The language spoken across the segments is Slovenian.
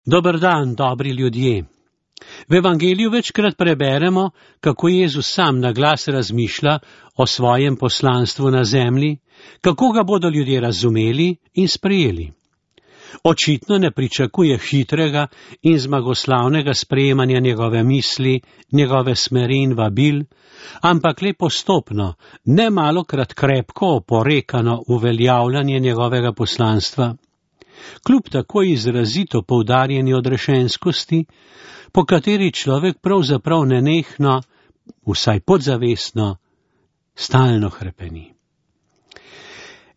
Dober dan, dobri ljudje. V evangeliju večkrat preberemo, kako Jezus sam na glas razmišlja o svojem poslanstvu na zemlji, kako ga bodo ljudje razumeli in sprejeli. Očitno ne pričakuje hitrega in zmagoslavnega sprejemanja njegove misli, njegove smeri in vabil, ampak le postopno, ne malokrat krepko oporekano uveljavljanje njegovega poslanstva. Kljub tako izrazito poudarjeni odrešenskosti, po kateri človek pravzaprav nenehno, vsaj podzavestno, stalno hrepeni.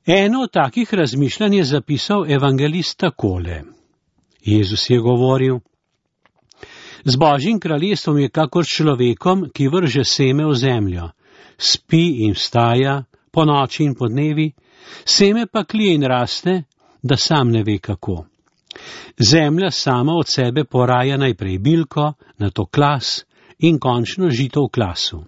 Eno od takih razmišljanj je zapisal evangelist takole. Jezus je govoril: Z Božjim kraljestvom je kakor človekom, ki vrže seme v zemljo, spi in vstaja, po noči in po dnevi, seme pa klije in raste, da sam ne ve kako. Zemlja sama od sebe poraja najprej bilko, nato klas in končno žito v klasu.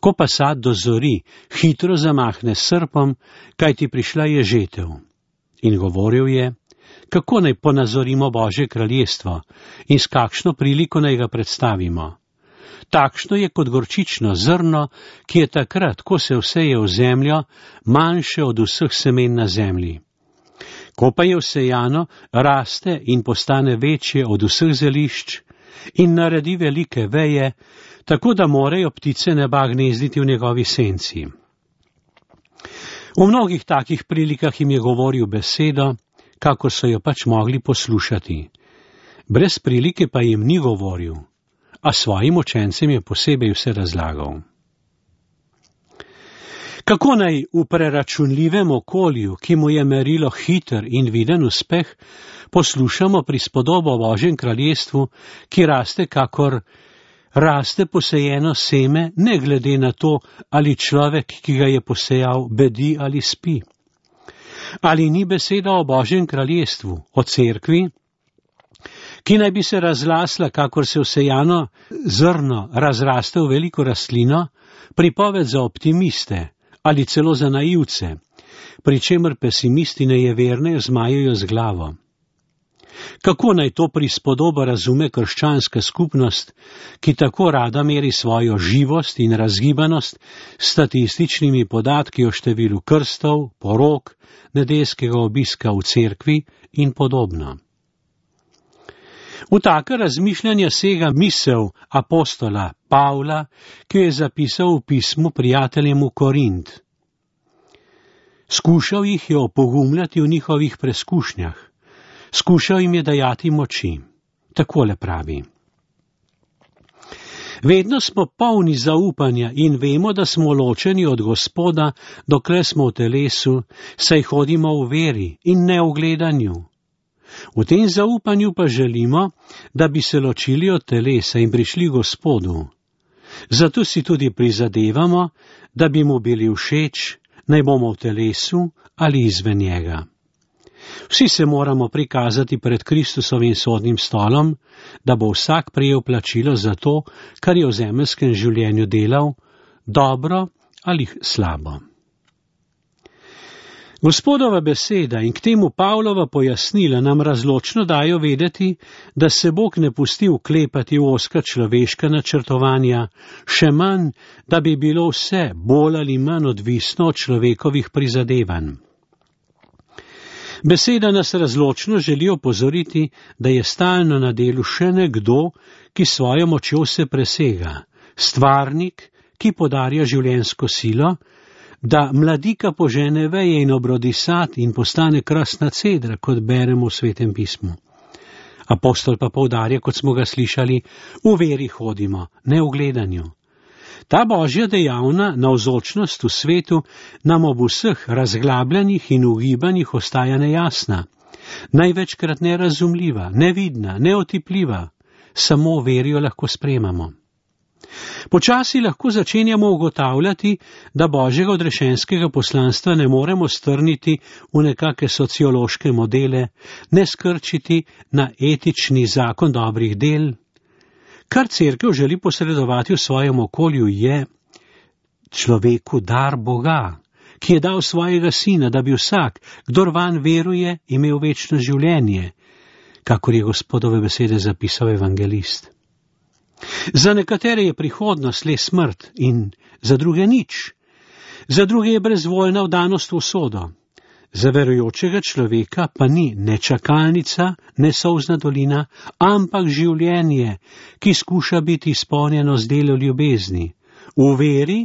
Ko pa sad dozori, hitro zamahne s srpom, kajti prišla je žetev. In govoril je, kako naj ponazorimo Božje kraljestvo in s kakšno priliko naj ga predstavimo. Takšno je kot gorčično zrno, ki je takrat, ko se vseje v zemljo, manjše od vseh semen na zemlji. Ko pa je vsejano, raste in postane večje od vseh zelišč in naredi velike veje, tako da morejo ptice neba gnezditi v njegovi senci. V mnogih takih prilikah jim je govoril besedo, kako so jo pač mogli poslušati. Brez prilike pa jim ni govoril, a svojim učencem je posebej vse razlagal. Kako naj v preračunljivem okolju, ki mu je merilo hiter in viden uspeh, poslušamo prispodobo o Božjem kraljestvu, ki raste kakor raste posejeno seme, ne glede na to, ali človek, ki ga je posejal, bedi ali spi. Ali ni beseda o Božjem kraljestvu, o cerkvi, ki naj bi se razlasla, kakor se vsejano zrno razraste v veliko rastlino, pripoved za optimiste ali celo za naivce, pri čemer pesimisti nejevernejo zmajajo z glavo. Kako naj to prispodobo razume krščanska skupnost, ki tako rada meri svojo živost in razgibanost s statističnimi podatki o številu krstov, porok, nedeljskega obiska v cerkvi in podobno? V taka razmišljanja sega misel apostola Pavla, ki je zapisal v pismu prijateljem v Korint. Skušal jih je opogumljati v njihovih preskušnjah, skušal jim je dajati moči. Takole pravi. Vedno smo polni zaupanja in vemo, da smo ločeni od Gospoda, dokler smo v telesu, saj hodimo v veri in ne v gledanju. V tem zaupanju pa želimo, da bi se ločili od telesa in prišli Gospodu. Zato si tudi prizadevamo, da bi mu bili všeč, naj bomo v telesu ali izven njega. Vsi se moramo prikazati pred Kristusovim sodnim stolom, da bo vsak prejel plačilo za to, kar je v zemeljskem življenju delal, dobro ali slabo. Gospodova beseda in k temu Pavlova pojasnila nam razločno dajo vedeti, da se Bog ne pusti vklepati v ozka človeška načrtovanja, še manj, da bi bilo vse bolj ali manj odvisno od človekovih prizadevanj. Beseda nas razločno želi opozoriti, da je stalno na delu še nekdo, ki svojo močjo se presega, stvarnik, ki podarja življenjsko silo, da mladika požene veje in obrodi sad in postane krasna cedra, kot beremo v Svetem pismu. Apostol pa poudarja, kot smo ga slišali, v veri hodimo, ne v gledanju. Ta Božja dejavna navzočnost v svetu nam ob vseh razglabljanjih in ugibanjih ostaja nejasna, največkrat nerazumljiva, nevidna, neotipljiva, samo verijo lahko sprejemamo. Počasi lahko začenjamo ugotavljati, da Božjega odrešenskega poslanstva ne moremo strniti v nekake sociološke modele, ne skrčiti na etični zakon dobrih del. Kar cerkev želi posredovati v svojem okolju je človeku dar Boga, ki je dal svojega sina, da bi vsak, kdor vanj veruje, imel večno življenje, kakor je Gospodove besede zapisal evangelist. Za nekatere je prihodnost le smrt in za druge nič. Za druge je brezvoljna vdanost v usodo. Za verujočega človeka pa ni ne čakalnica, ne solzna dolina, ampak življenje, ki skuša biti izpolnjeno z delo ljubezni, v veri,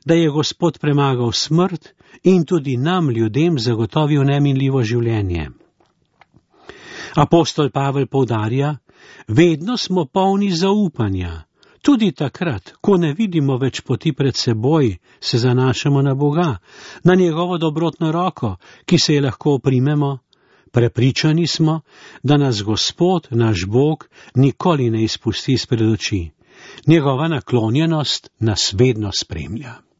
da je Gospod premagal smrt in tudi nam, ljudem, zagotovil neminljivo življenje. Apostol Pavel poudarja, vedno smo polni zaupanja. Tudi takrat, ko ne vidimo več poti pred seboj, se zanašamo na Boga, na njegovo dobrotno roko, ki se je lahko oprimemo. Prepričani smo, da nas Gospod, naš Bog, nikoli ne izpusti izpred oči. Njegova naklonjenost nas vedno spremlja.